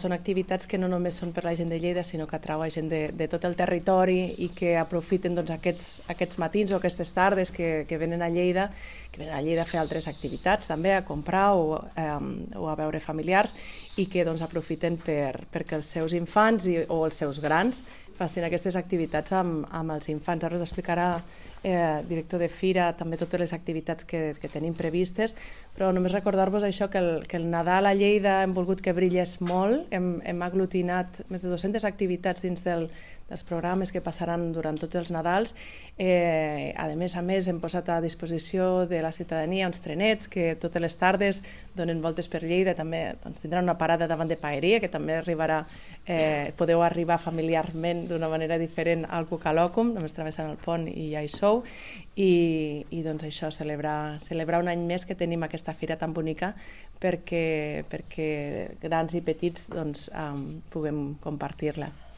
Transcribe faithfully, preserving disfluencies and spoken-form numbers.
Són activitats que no només són per la gent de Lleida, sinó que atrauen gent de, de tot el territori i que aprofiten doncs, aquests, aquests matins o aquestes tardes que, que venen a Lleida, que venen a Lleida a fer altres activitats també, a comprar o, eh, o a veure familiars, i que doncs, aprofiten per, perquè els seus infants i, o els seus grans facin aquestes activitats amb, amb els infants. Ara us explicarà eh, director de Fira també totes les activitats que, que tenim previstes, però només recordar-vos això, que el, que el Nadal a Lleida hem volgut que brillés molt, hem, hem aglutinat més de dues-centes activitats dins del, dels programes que passaran durant tots els Nadals. Eh, a més a més, hem posat a disposició de la ciutadania uns trenets que totes les tardes donen voltes per Lleida, també doncs, tindran una parada davant de Paeria, que també arribarà, eh, podeu arribar familiarment d'una manera diferent al Cucalòcum, només travessant el pont i ja hi sou, i, i doncs això, celebrar, celebrar un any més que tenim aquesta fira tan bonica perquè, perquè grans i petits doncs, um, puguem compartir-la.